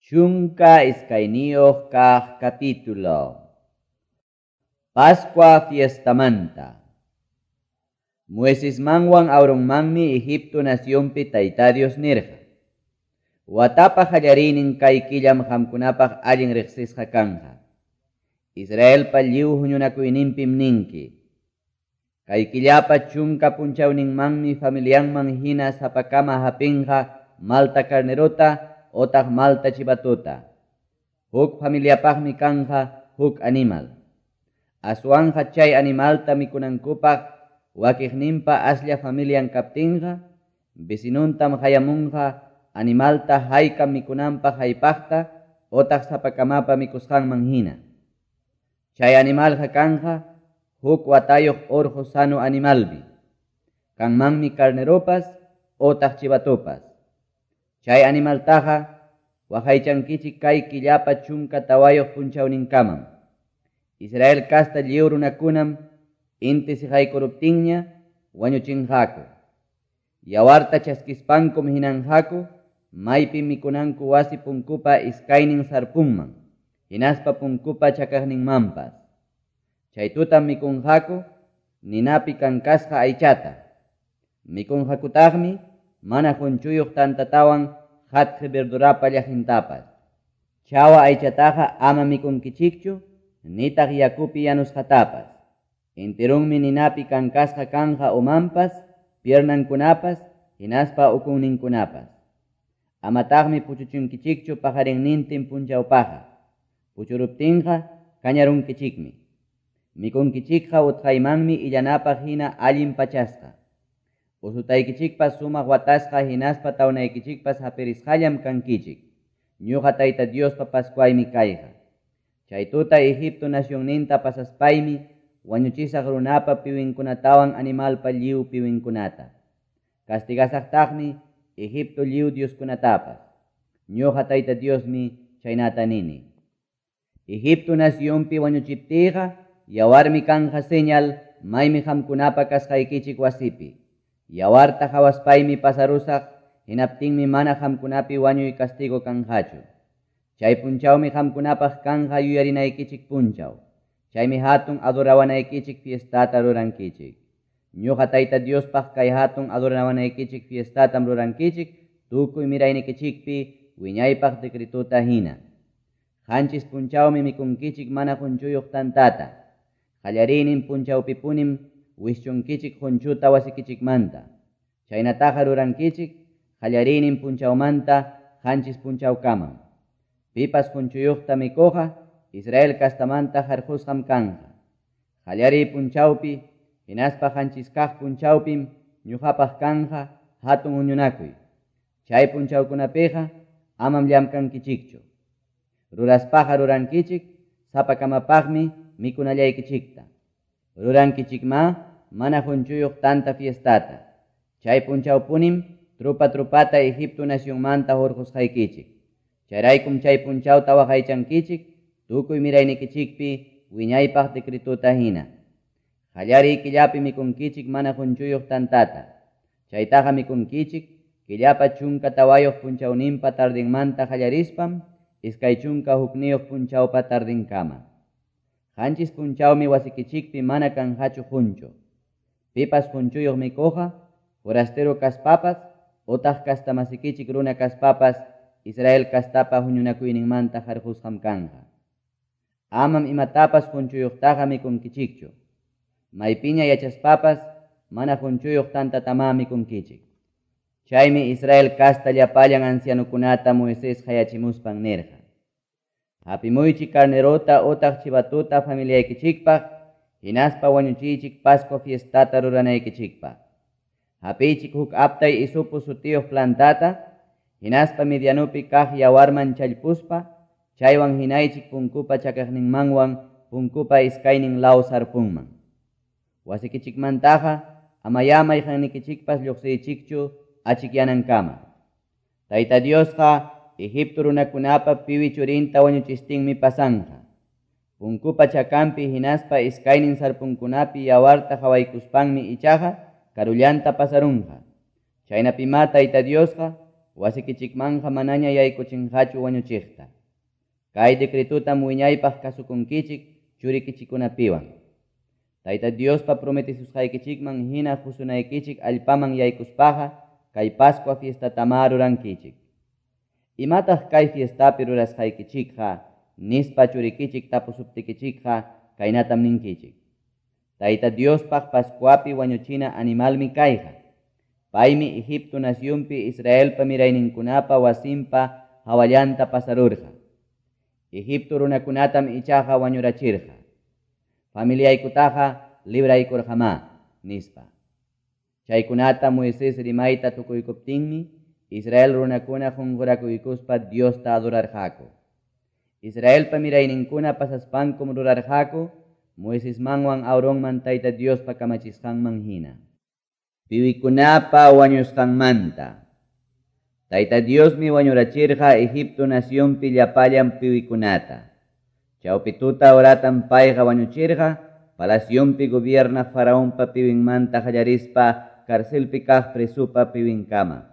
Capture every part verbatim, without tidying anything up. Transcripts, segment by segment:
Chunka iskayniyuq kaq capítulo. Pascua fiestamanta. Moisesmanwan Aaronmanmi Egipto nacionpi Tayta Dios nirqa. Watapa qallariynin kay killam qamkunapaq allin riqsisqa kanqa. Israelpa lliw huñunakuyninpim ninki. Kay killapa chunka punchawninmanmi familianman hina sapakama hapinqa malta carnerota otaq malta chivatuta. Huk familiapaqmi kanja huk animal. Aswanja chay animalta mikunankupaq wakiqninpa aslla familian kaptinqa, vecinuntam hayamunqa animalta haykam mikunanpaq haypaqta otaq sapakamapa mikusqanman hina. Chay animalqa kanja huk watayuq urqu sano animalmi. Kanmanmi carneropas otaq chivatopas. Chay animaltaqa waqaychankichik kay killapa chunka tawayuq punchawninkamam. Israel kasta lliw runakunam inti siqaykuruptinña wañuchinqaku. Yawarta chaskispankum hinanqaku maypim mikunanku wasi punkupa iskaynin sarpunman, hinaspa punkupa chakaqninmanpas. Chay tutam mikunqaku ninapi kankasqa aychata. Mikunqakutaqmi mana qunchuyuq tantatawan qatqi verdurapa llaqintapas. Chawa aychataqa ama mikunkichikchu, nitaq yakupi yanusqatapas. Enterunmi ninapi kankasqa kanja umanpas, piernankunapas, hinaspa ukunninkunapas. Amataqmi puchuchunkichikchu paqarinnintin punchawpaqa. Puchuruptinqa kañarunkichikmi. Mikunkichikqa utqaymanmi illanapaq hina allin pachasqa. Usutaykichikpas sumaq watasqa hinaspa tawnaykichikpas hapirisqallam kankichik. Ñuqa Tayta Diospa Pascuaymi kayqa. Chay tuta Egipto nacionninta pasaspaymi wañuchisaq runapa piwinkunatawan animalpa lliw piwinkunata. Castigasaqtaqmi Egipto lliw dioskunatapas. Ñuqa Tayta Diosmi chaynata nini. Egipto nacionpi wañuchiptiyqa yawarmi kanja señal maymi qamkunapa kasqaykichik wasipi. Yawarta hawaspaymi pasarusaq, hinaptinmi mana qamkunapi wañuy castigo kanqachu. Chay punchawmi qamkunapaq kanja yuyarinaykichik punchaw. Chaymi hatun adorawanaykichik fiestata rurankichik. Ñuqa Tayta Diospaq kay hatun adorawanaykichik fiestatam rurankichik, tukuy miraynikichikpi wiñaypaq decretuta hina. Qanchis punchawmi mikunkichik mana qunchuyuq tantata. Qallariynin punchawpipunim wischunkichik qunchuta wasikichikmanta. Chaynataqa rurankichik qallariynin punchawmanta qanchis punchawkamam. Pipas qunchuyuqta mikuqa Israel kastamanta harqusqam kanja. Qallariy punchawpi hinaspa qanchis kaq punchawpim ñuqapaq kanja hatun huñunakuy. Chay punchawkunapiqa amam llamkankichikchu. Ruraspaqa rurankichik sapakamapaqmi mikunallaykichikta. Rurankichikma mana qunchuyuq tanta fiestata. Chay punchawpunim trupa trupata Egipto nacionmanta hurqusqaykichik. Chayraykum chay punchawta waqaychankichik tukuy miraynikichikpi wiñaypaq decretuta hina. Qallariy killapi mikunkichik mana qunchuyuq tantata. Chaytaqa mikunkichik killapa chunka tawayuq punchawninpa tardinmanta qallarispam iskay chunka hukniyuq punchawpa tardinkama. Qanchis punchawmi wasikichikpi mana kanqachu qunchu. Pipas qunchuyuq mikuqa, forastero kaspapas, otaq kastamasikichik runa kaspapas, Israel kastapa huñunakuyninmanta harqusqam kanja. Amam imatapas qunchuyuqtaqa mikunkichikchu. Maypiña yachaspapas, mana qunchuyuq tantatama mikunkichik. Chaymi Israel kasta llapallan ancianukunata Moisés hayachimuspan nirqa. Hapimuychik carnerota otaq chivatuta familiaykichikpaq, hinaspa wañuchiychik Pascua fiestata ruranaykichikpaq. Hapiychik huk aptay isupu sutiyuq plantata, hinaspa medianupi kaq yawarman challpuspa, chaywan hinaychik punkupa chakaqninmanwan punkupa iskaynin law sarpunman. Wasikichikmantaqa amayá mayqannikichikpas lluqsiychikchu achikyanankama. Tayta Diosqa Egipto runakunapa piwi churinta wañuchistinmi pasanja. Punkupa chakampi hinaspa iskaynin sarpunkunapi yawarta hawaykuspanmi ichaqa karullanta pasarunqa. Chaynapima Tayta Diosqa wasikichikmanqa manaña yaykuchinqachu wañuchiqta. Kay decretotam wiñaypaq kasukunkichik churikichikkunapiwan. Tayta Diospa prometesusqaykichikman hina qusunaykichik allpaman yaykuspaqa kay Pascua fiestatamá rurankichik. Imataq kay fiestapi rurasqaykichikqa nispa churikichik tapusuptikichikqa kaynatam ninkichik. Tayta Diospaq Pascuapi wañuchina animalmi kayqa. Paymi Egipto nacionpi Israelpa mirayninkunapa wasinpa hawallanta pasarurqa. Egipto runakunatam ichaqa wañurachirqa. Familiaykutaqa libraykurqamá, nispa. Chaykunata Moisés rimayta tukuykuptinmi Israel runakuna qunqurakuykuspa Diosta adorarqaku. Israelpa mirayninkuna pasaspankum rurarqaku Moisesmanwan Aaronman Tayta Diospa kamachisqanman hina. Piwikunapa wañusqanmanta. Tayta Diosmi wañurachirqa Egipto nacionpi llapallan piwikunata. Chawpi tuta horatam payqa wañuchirqa palacionpi gobiernaq faraonpa piwinmanta qallarispa carcelpi kaq presopa piwinkama.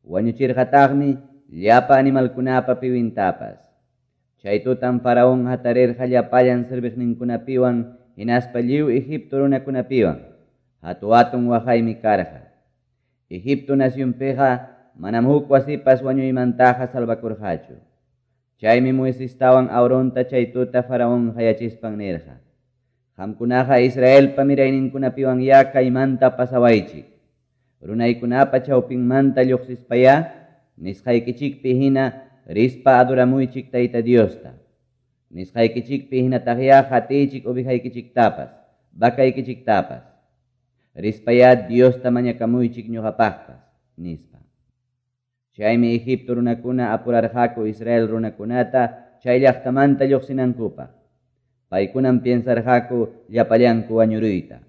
Wañuchirqataqmi llapa animalkunapa piwintapas. Chay tutam faraón hatarirqa llapallan serviqninkunapiwan hinaspa lliw Egipto runakunapiwan. Hatu-hatun waqaymi karqa. Egipto nacionpiqa manam huk wasipas wañuymantaqa salvakurqachu. Chaymi Moisestawan Aaronta chay tuta faraón qayachispan nirqa: Qamkunaqa Israelpa mirayninkunapiwan ya kaymanta pasawaychik. Runaykunapa chawpinmanta lluqsispayá nisqaykichikpi hina rispa adoramuychik Tayta Diosta. Nisqaykichikpi hinataqyá qatiychik ovejaykichiktapas, vacaykichiktapas. Rispayá Diosta mañakamuychik ñuqapaqpas, nispa. Chaymi Egipto runakuna apurarqaku Israel runakunata chay llaqtamanta lluqsinankupaq. Paykunam piensarqaku llapallanku wañuruyta.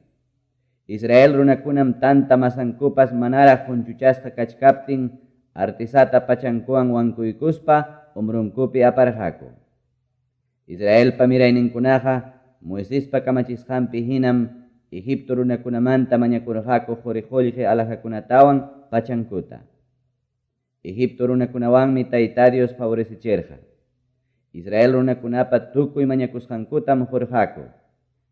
Israel runakunam tanta masankupas manaraq qunchuchasqa kachkaptin artisata pachankuwan wankuykuspa umrunkupi aparqaku. Israelpa mirayninkunaqa Moisespa kamachisqanpi hinam Egipto runakunamanta mañakurqaku quri qullqi alhajakunatawan pachankuta. Egipto runakunawanmi Tayta Dios favorecechirqa. Israel runakunapa tukuy mañakusqankutam qurqaku.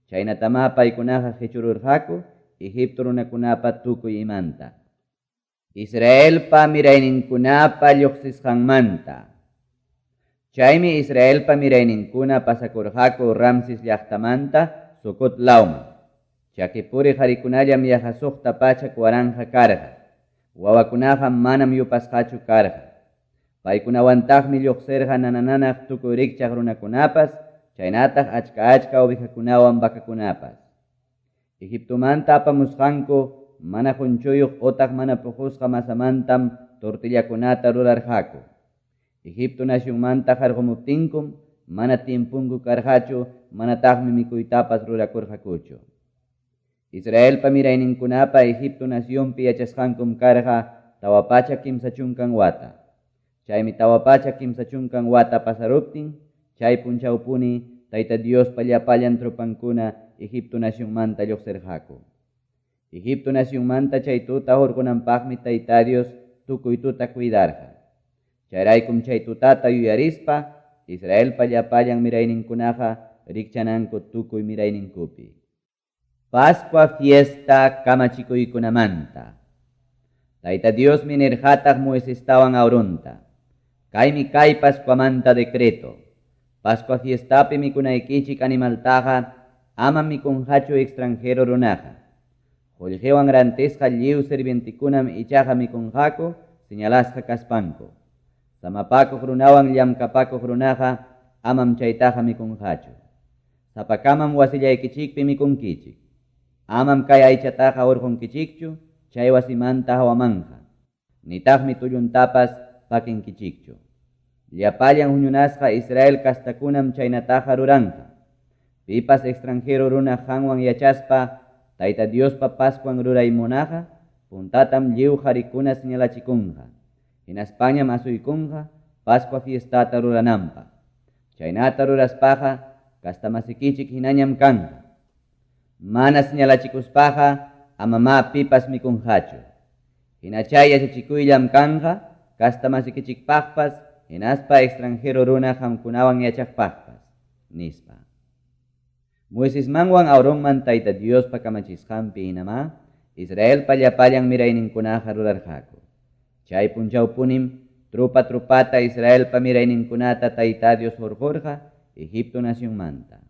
Chaynatamá paykunaqa qichururqaku Egipto runakunapa tukuy imanta. Israelpa mirayninkunapa lluqsisqanmanta. Chaymi Israelpa mirayninkuna pasakurqaku Ramses llaqtamanta Sucot lawman. Chakipuri qarikunallam yaqa suqta pachak waranqa karqa. Wawakunaqa manam yupasqachu karqa. Paykunawantaqmi lluqsirqa nanananaq tukuy rikchaq runakunapas, chaynataq achka achka ovejakunawan vacakunapas. Egiptomanta apamusqanku mana qunchuyuq otaq mana puqusqa masamantam tortillakunata rurarqaku. Egipto nacionmanta qarqumuptinkum mana tiempunku karqachu, manataqmi mikuytapas rurakurqakuchu. Israelpa mirayninkunapa Egipto nacionpi yachasqankum karqa tawa pachak kimsa chunkan wata. Chaymi tawa pachak kimsa chunkan wata pasaruptin, chay punchawpuni Tayta Diospa llapallan tropankuna Egipto nacionmanta lluqsirqaku. Egipto nacionmanta chay tuta hurqunanpaqmi Tayta Dios tukuy tuta cuidarqa. Chayraykum chay tutata yuyarispa Israelpa llapallan mirayninkunaqa rikchananku tukuy mirayninkupi. Pascua fiesta kamachikuykunamanta. Tayta Diosmi nirqataq Moisestawan Aaronta: Kaymi kay Pascuamanta decreto. Pascua fiestapi mikunaykichik animaltaqa amam mikunqachu extranjero runaqa. Qullqiwan rantisqa lliw sirvientekunam ichaqa mikunqaku señalasqa kaspanku. Samapakuq runawan llamkapakuq runaqa amam chaytaqa mikunqachu. Sapakamam wasillaykichikpi mikunkichik. Amam kay aychataqa hurqunkichikchu chay wasimanta hawamanqa. Nitaqmi tulluntapas pakinkichikchu. Llapallan huñunasqa Israel kastakunam chaynataqa ruranqa. Pipas extranjero runa qanwan yachaspa Tayta Diospa Pascuan ruray munaqa, puntatam lliw qarikuna señalachikunqa. Hinaspañam asuykunqa Pascua fiestata rurananpaq. Chaynata ruraspaqa kastamasikichik hinañam kanqa. Mana señalachikuspaqa amamá pipas mikunqachu. Hina chay yachachikuyllam kanqa castamasikichikpaqpas hinaspa extranjero runa qamkunawan yachaqpaqpas, nispa. Moisesmanwan Aaronman Tayta Diospa kamachisqanpi hinamá Israelpa llapallan mirayninkunaqa rurarqaku. Chay punchawpunim tropa-tropata Israelpa mirayninkunata Tayta Dios hurqorqa Egipto nacionmanta.